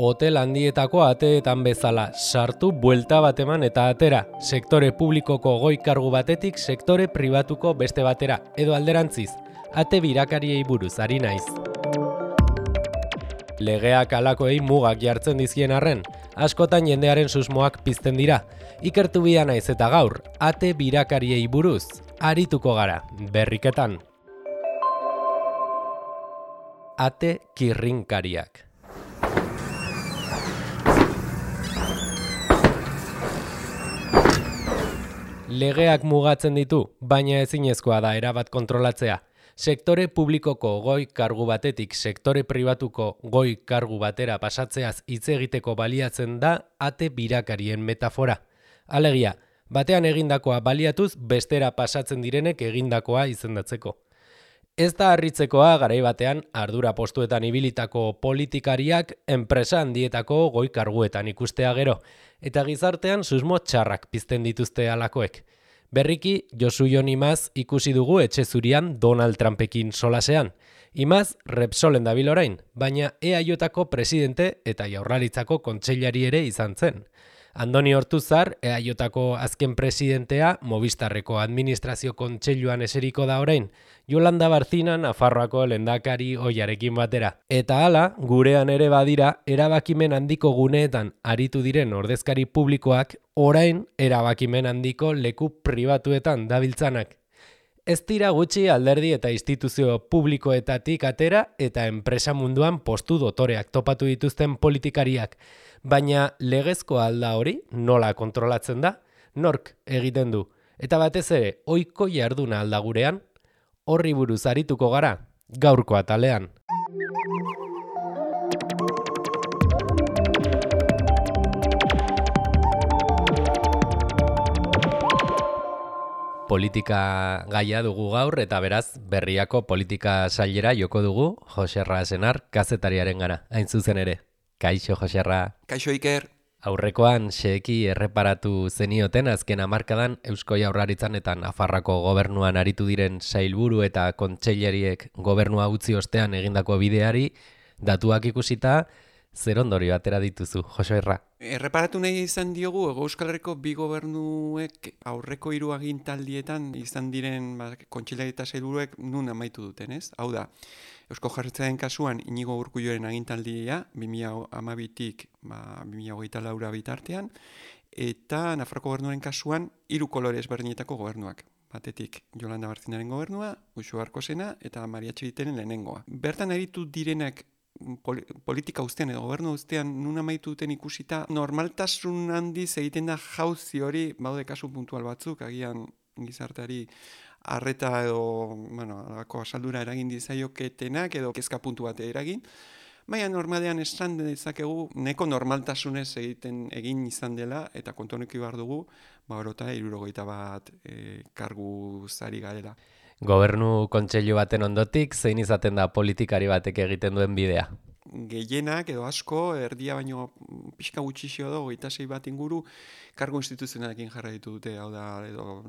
hotel handietako ateetan bezala, sartu, buelta bat eman eta atera, sektore publikoko goi kargu batetik sektore pribatuko beste batera, edo alderantziz, ate birakariei buruz ari naiz. Legeak halakoei mugak jartzen dizkien arren, askotan jendearen susmoak pizten dira. Ikertu bia naiz eta gaur, ate birakariei buruz, arituko gara, berriketan. Ate kirrinkariak. Legeak mugatzen ditu, baina ezinezkoa da erabat kontrolatzea. Sektore publikoko goi kargu batetik sektore pribatuko goi kargu batera pasatzeaz hitz egiteko baliatzen da ate birakarien metafora. Alegia, batean egindakoa baliatuz bestera pasatzen direnek egindakoa izendatzeko. Ez da harritzekoa garai batean ardura postuetan ibilitako politikariak enpresa handietako goi karguetan ikustea gero, eta gizartean susmo txarrak pizten dituzte halakoek. Berriki, Josu Jon Imaz ikusi dugu etxe zurian Donald Trumpekin solasean. Imaz Repsolen dabil orain, baina EAJko presidente eta Jaurlaritzako kontseilari ere izan zen. Andoni Ortuzar, EAJko azken presidentea, Movistarreko administrazio kontseiluan eseriko da orain, Yolanda Barcina Nafarroako lehendakari ohiarekin batera. Eta hala, gurean ere badira, erabakimen handiko guneetan aritu diren ordezkari publikoak, orain erabakimen handiko leku pribatuetan dabiltzanak. Ez dira gutxi alderdi eta instituzio publikoetatik atera eta enpresa munduan postu dotoreak topatu dituzten politikariak. Baina legezkoa alda hori nola kontrolatzen da? Nork egiten du? Eta batez ere, ohiko jarduna alda gurean? Horri buruz arituko gara, gaurko atalean. Politika gaia dugu gaur eta beraz berriako politika sailera joko dugu Joserra Senar kazetariaren gara, hain zuzen ere. Kaixo, Joserra. Kaixo, Iker. Aurrekoan xeheki erreparatu zenioten azken hamarkadan Eusko Jaurlaritzan eta Nafarroako gobernuan aritu diren sailburu eta kontseilariek gobernua utzi ostean egindako bideari datuak ikusita zer ondorio atera dituzu, Joserra. Erreparatu nahi izan diogu Euskal Herriko bi gobernuek aurreko 3 agintaldietan izan diren kontseilari eta sailburuek nun amaitu duten, ez? Hau da, Eusko Jaurlaritzaren kasuan Inigo Urkulluren agintaldia 2012tik 2024 bitartean, eta Nafarroako gobernuaren kasuan 3 kolore ezberdinetako gobernuak. Batetik Yolanda Barcinaren gobernua, Uxue Barkosena eta Maria Txibiteren lehenengoa. Bertan aritu direnak politika ustean edo gobernu ustean nun amaitu duten ikusita, normaltasun handiz egiten da jauzi hori, baude kasu puntual batzuk, agian gizarteari arreta edo, alako asaldura eragin dizaioketenak edo kezka puntu bat eragin, baina normalean esan dezakegu neko normaltasunez egin izan dela eta kontuanuki behar dugu, orota 61 kargu zari garela. Gobernu kontseilu baten ondotik, zein izaten da politikari batek egiten duen bidea? Gehienak edo asko, erdia baino pixka gutxixio da, 26 bat inguru, kargu instituzionalekin jarraitu dute, hau da, edo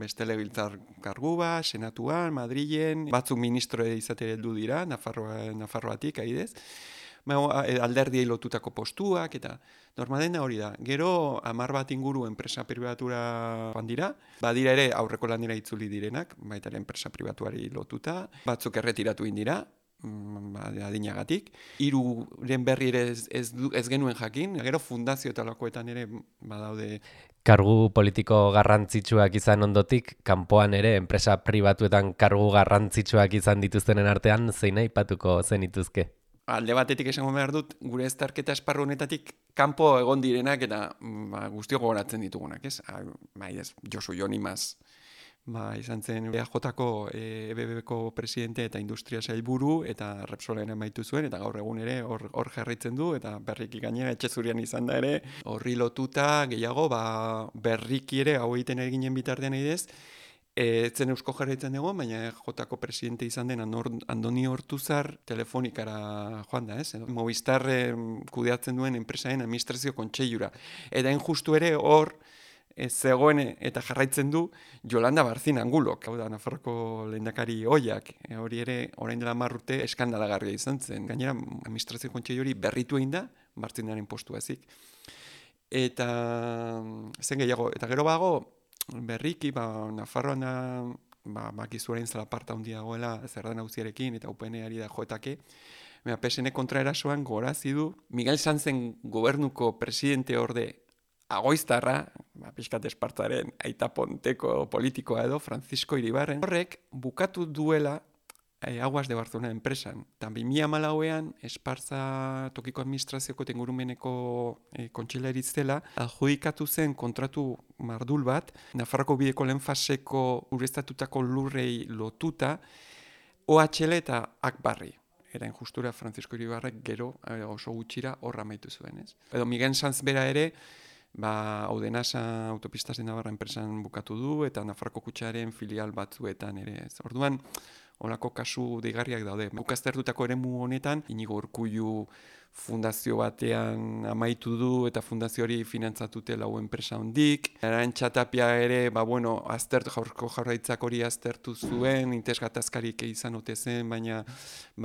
beste legebiltzar kargu bat, senatuan, Madrilen, batzuk ministro izatea heldu dira, Nafarroatik, adibidez, alderdiei lotutako postuak, eta normalena hori da. Gero, 10 bat inguru enpresa pribatura joan dira, badira ere aurreko lanera itzuli direnak, baita ere enpresa pribatuari lotuta, batzuk erretiratu indira, adinagatik. 3 berri ere ez genuen jakin, gero fundazio eta lakoetan ere badaude. Kargu politiko garrantzitsuak izan ondotik, kanpoan ere enpresa pribatuetan kargu garrantzitsuak izan dituztenen artean, zein aipatuko zenituzke? Alde batetik esango behar dut, gure eztarketa esparru honetatik kanpo egon direnak eta guztiok gogoratzen ditugunak, ez? Josu Jon Imaz, izan zen EAJko EBBko presidente eta industria sailburu eta Repsolen amaitu zuen, eta gaur egun ere hor jarraitzen du, eta berriki gainera etxe zurian izan da ere, horri lotuta gehiago, berriki ere hau egiten eginen bitartean idez, etzen Eusko Jaurlaritzan dago, baina Jotako presidente izan den Andoni Ortuzar telefonikara joan da, ez? Movistar kudeatzen duen enpresaren administrazio kontseilura. Eta justu ere hor zegoen eta jarraitzen du Yolanda Barcina Angulok, hau da Nafarroko lehendakari ohiak. Hori ere orain dela 10 urte eskandalagarria izan zen. Gainera administrazio kontseilu hori berritu egin da, Martzinaren postua ezik. Eta zen gehiago, eta gero bago, berriki, Nafarroan bakizuaren zela parta handia dagoela Zerda Nagusiarekin eta UPN-ari da joetake, PSN kontraerasoan gorazi du Miguel Sanzen gobernuko presidente orde agoiztarra, pixkat Espartaren aita ponteko politikoa edo, Francisco Iribarren, horrek bukatu duela Aguas de Barcelona enpresan. Eta 2014an Espartza tokiko administrazioko tengurumeneko kontxilairitz dela, adjudikatu zen kontratu mardul bat, Nafarroko bideko lehen faseko ureztatutako lurrei lotuta, OHL eta Akbarri. Era injustura Francisco Iribarrek gero oso gutxira horra amaitu zuen, ez? Edo Miguel Sanz bera ere, Audenasa Autopistas de Navarra enpresan bukatu du, eta Nafarroko kutxaren filial batzuetan ere, ez? Orduan, holako kasu deigarriak daude. Guk aztertutako eremu honetan, Inigo Urkullu fundazio batean amaitu du eta fundazio hori finantzatute lau enpresa hondik. Arantxa Tapia ere, jaurko jaurlaritzak hori aztertu zuen, interesgatazkarik izan ote zen, baina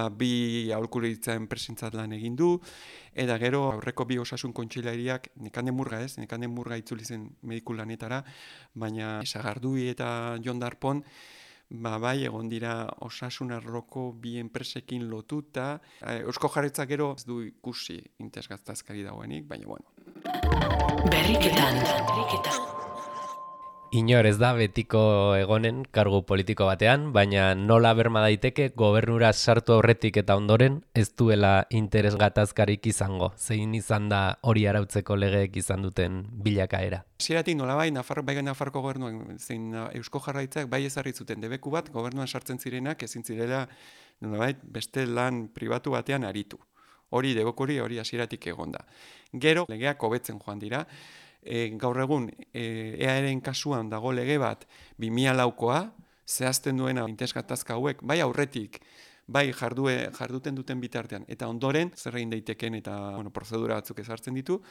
bi aholkularitza enpresentzat lan egin du. Eta gero aurreko bi osasun kontseilariak, Nekane Murga itzuli zen mediku lanetara, baina Sagardui eta Jon Darpon, egon dira osasun arloko bi enpresekin lotuta. Eusko Jaurlaritzak gero ez du ikusi interesgatazkari dagoenik, baina bueno. Berriketan. Inor ez da betiko egonen kargu politiko batean, baina nola berma daiteke gobernura sartu aurretik eta ondoren ez duela interesgatazkarik izango. Zein izan da hori arautzeko legeek izan duten bilakaera? Hasieratik nolabait Nafarroko gobernuan zein Eusko Jaurlaritzak bai ezarri zuten debeku bat gobernuan sartzen zirenak ezin zirela nolabait beste lan pribatu batean aritu. Hori debekuri hori hasieratik egonda. Gero legeak hobetzen joan dira. Gaur egun EAEren kasuan dago lege bat 2004koa zehazten duena interesgatazka hauek bai aurretik bai jarduten duten bitartean eta ondoren zer egin daiteken eta prozedura batzuk ezartzen ditu.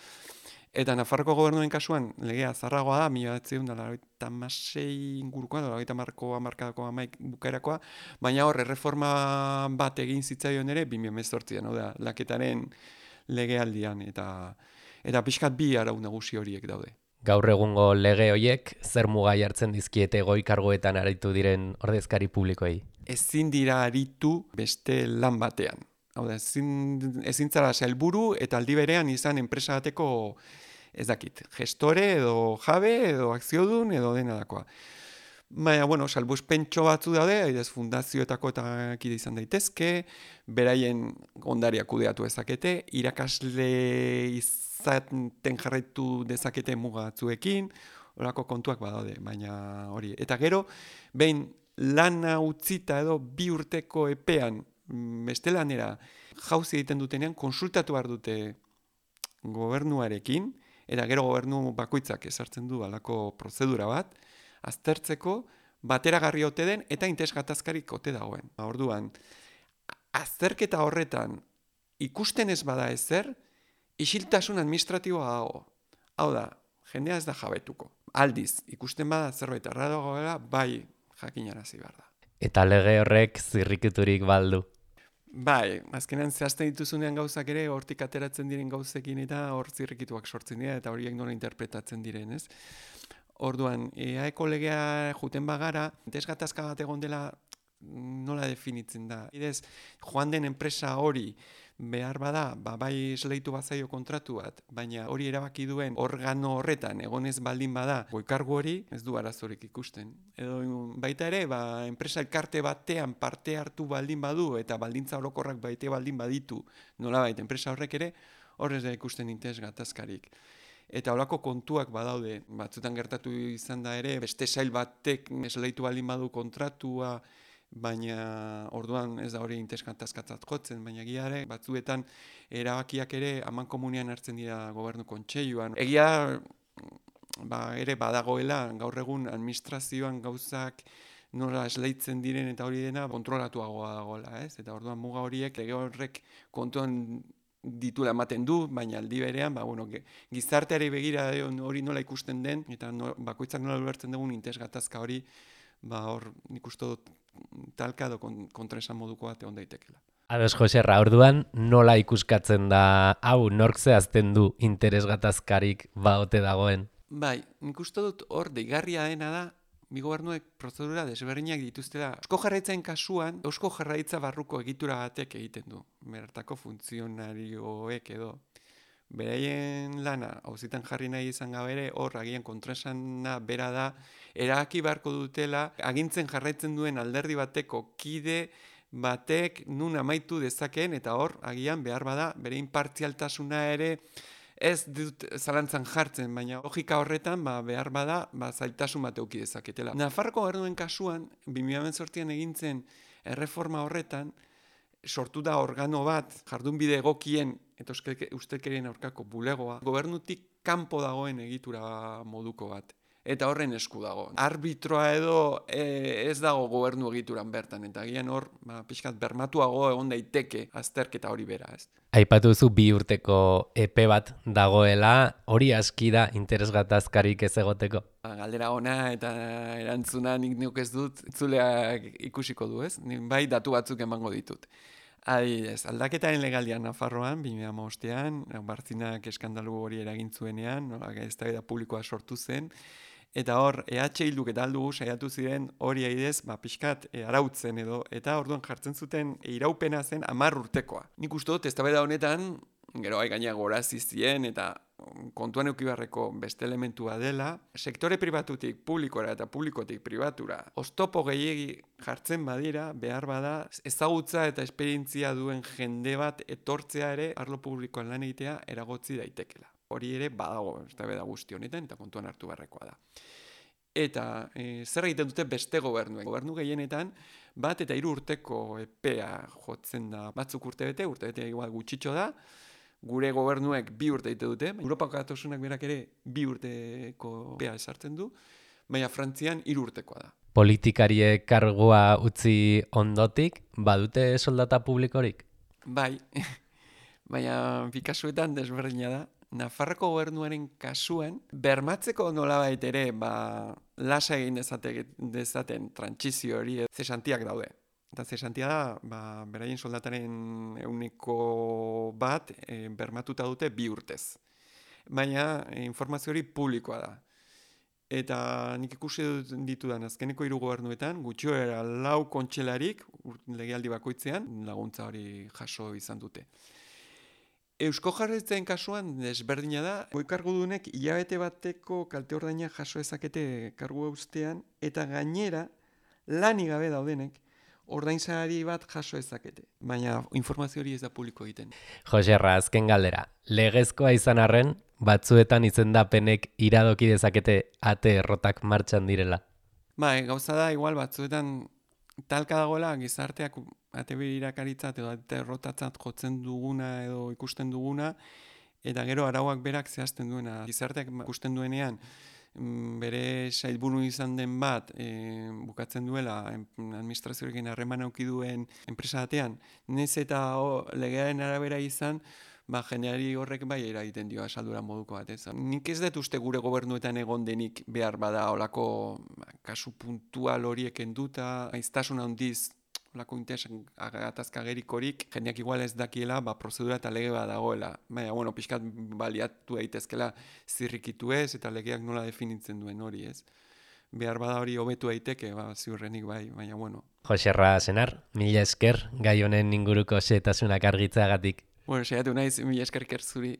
Eta Nafarroko gobernuen kasuan legea zaharragoa da 1996 ingurukoa, 1990ko hamarkadako bukaerakoa, baina hor erreforma bat egin zitzaion ere 2018an, hau da, laketaren legealdian eta pixkat bi arau nagusi horiek daude. Gaur egungo lege horiek zer muga jartzen dizkiete goi karguetan aritu diren ordezkari publikoei? Ezin dira aritu beste lan batean. Hau da, ezin zara sailburu eta aldi berean izan enpresa bateko ez dakit, gestore edo jabe edo akziodun edo denadakoa. Baina, salbuspentxo batzu daude, adibidez fundazioetako eta kide izan daitezke, beraien ondariak kudeatu dezakete, irakasle izaten jarraitu dezakete muga batzuekin, horako kontuak badaude, baina hori. Eta gero, behin lana utzita edo 2 urteko epean beste lanera jauzi egiten dutenean, konsultatu behar dute gobernuarekin, eta gero gobernu bakoitzak ezartzen du halako prozedura bat, aztertzeko bateragarri ote den eta interesgatazkarik ote dagoen. Orduan, azterketa horretan ikusten ez bada ezer, isiltasun administratiboa dago. Hau da, jendea ez da jabetuko. Aldiz, ikusten bada zerbait errado dagoela, bai jakinarazi behar da. Eta lege horrek zirrikiturik baldu. Bai, azkenean zehazten dituzunean gauzak ere, hortik ateratzen diren gauzekin eta hor zirrikituak sortzen dira, eta horiek nola interpretatzen diren, ez? Orduan, EAEko legea juten bagara, interesgatazka bat egon dela nola definitzen da. Idez, joan den enpresa hori behar bada, bai esleitu bazaio kontratu bat, baina hori erabaki duen organo horretan egonez baldin bada, goikargu hori ez du arazorik ikusten. Edo baita ere, enpresa elkarte batean parte hartu baldin badu eta baldintza orokorrak baite baldin baditu, nolabait enpresa horrek ere, horrez da ikusten interesgatazkarik. Eta holako kontuak badaude, batzutan gertatu izan da ere, beste sail batek esleitu baldin badu kontratua, baina orduan ez da hori interesgatazkatzat jotzen, baina egiare batzuetan erabakiak ere amankomunean hartzen dira gobernu kontseiluan. Egia ere badagoela gaur egun administrazioan gauzak nola esleitzen diren eta hori dena kontrolatuagoa dagoela, ez? Eta orduan muga horiek lege horrek kontuan ditula ematen du, baina aldi berean, gizarteari begira hori nola ikusten den, eta bakoitzak nola ulertzen dugun interesgatazka hori, hor nik uste dut talka edo kontraesan moduko bat egon daitekela. Ados, Joserra, orduan nola ikuskatzen da, hau nork zehazten du interes gatazkarik baote dagoen? Bai, nik uste dut hor deigarria dena da, bi gobernuek prozedura desberdinak dituztela. Eusko Jaurlaritzaren kasuan, Eusko Jaurlaritza barruko egitura batek egiten du. Bertako funtzionarioek edo. Beraien lana, auzitan jarri nahi izan gabere, hor agian kontraesana bera da, erabaki beharko dutela, agintzen jarraitzen duen alderdi bateko kide batek nun amaitu dezakeen, eta hor agian behar bada, bere inpartzialtasuna ere, ez dut zalantzan jartzen, baina logika horretan behar bada zailtasun bat eduki dezaketela. Nafarroko gobernuen kasuan, 2018an egintzen erreforma horretan, sortu da organo bat, jardunbide egokien eta ustelkerien aurkako bulegoa, gobernutik kanpo dagoen egitura moduko bat. Eta horren esku dago. Arbitroa edo ez dago gobernu egituran bertan, eta agian hor pixkat bermatuago egon daiteke azterketa hori bera, ez? Aipatu duzu 2 urteko epe bat dagoela, hori aski da interes gatazkarik ez egoteko? Galdera ona eta erantzuna nik neuk ez dut, itzuleak ikusiko du, ez? Nik bai datu batzuk emango ditut. Adibidez, aldaketaren legaldian Nafarroan, 2015an, Bartzinak eskandalu hori eragin zuenean, eztabaida publikoa sortu zen, eta hor, Bilduk eta aldugu saiatu ziren hori adibidez, pixkat arautzen edo, eta orduan jartzen zuten iraupena zen 10 urtekoa. Nik uste dut, eztabaida honetan, gero gaina gorazi zien eta kontuan eduki beharreko beste elementua dela, sektore pribatutik publikora eta publikotik pribatura, oztopo gehiegi jartzen badira, behar bada, ezagutza eta esperientzia duen jende bat etortzea ere, arlo publikoan lan egitea eragotzi daitekela. Hori ere badago, eztabaida guzti honetan, eta kontuan hartu beharrekoa da. Eta zer egiten dute beste gobernuek? Gobernu gehienetan, 1 eta 3 urteko epea jotzen da, batzuk urtebete igual gutxitxo da, gure gobernuek 2 urte egite dute, Europako Batasunak berak ere 2 urteko epea esartzen du, baina Frantzian 3 urtekoa da. Politikariek kargua utzi ondotik, badute soldata publikorik? Bai, baina bi kasuetan desberdina da. Nafarroko gobernuaren kasuan, bermatzeko nolabait ere, lasa egin dezaten trantsizio hori zesantiak daude. Eta zesantia da, beraien soldataren 1% bermatuta dute 2 urtez. Baina informazio hori publikoa da. Eta nik ikusi ditudan azkeneko 3 gobernuetan, gutxiora 4 kontxelarik, legealdi bakoitzean, laguntza hori jaso izan dute. Eusko Jaurlaritzaren kasuan desberdina da, goi kargudunek hilabete bateko kalte ordaina jaso ezakete kargu eustean, eta gainera lanik gabe daudenek ordainsari bat jaso ezakete. Baina informazio hori ez da publiko egiten. Joserra, azken galdera, legezkoa izan arren, batzuetan izendapenek iradoki dezakete ate errotak martxan direla? Gauza da, igual batzuetan talka dagoela gizarteak ate irakaritzat edo ate errotatzat jotzen duguna edo ikusten duguna, eta gero arauak berak zehazten duena. Gizarteak ikusten duenean, bere sailburu izan den bat bukatzen duela administrazioarekin harreman eduki duen enpresa batean, nez eta legearen arabera izan, jendeari horrek bai eragiten dio asaldura moduko bat, ez? Nik ez dut uste gure gobernuetan egon denik behar bada olako kasu puntual horiek enduta, aiztasun handiz olako interesan gatazkagerikorik, jendeak igual ez dakiela, prozedura eta lege bat dagoela. Baina, pixkat baliatu daitezkela zirrikitu ez, eta legeak nola definitzen duen hori, ez? Behar bada hori hobetu daiteke, ziurrenik bai, baina, Joserra Senar, mila esker, gai honen inguruko xehetasunak argitzeagatik. Saiatu naiz, mila esker zuri.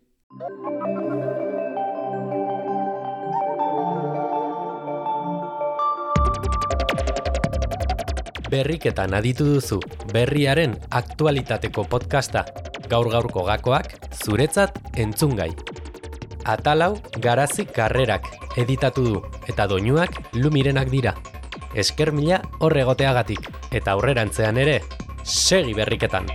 Berriketan aditu duzu, berriaren aktualitateko podcasta, gaur-gaurko gakoak, zuretzat entzungai. Atalau Garazi Karrerak editatu du, eta doinuak Lumirenak dira. Esker mila hor egoteagatik, eta aurrerantzean ere, segi berriketan!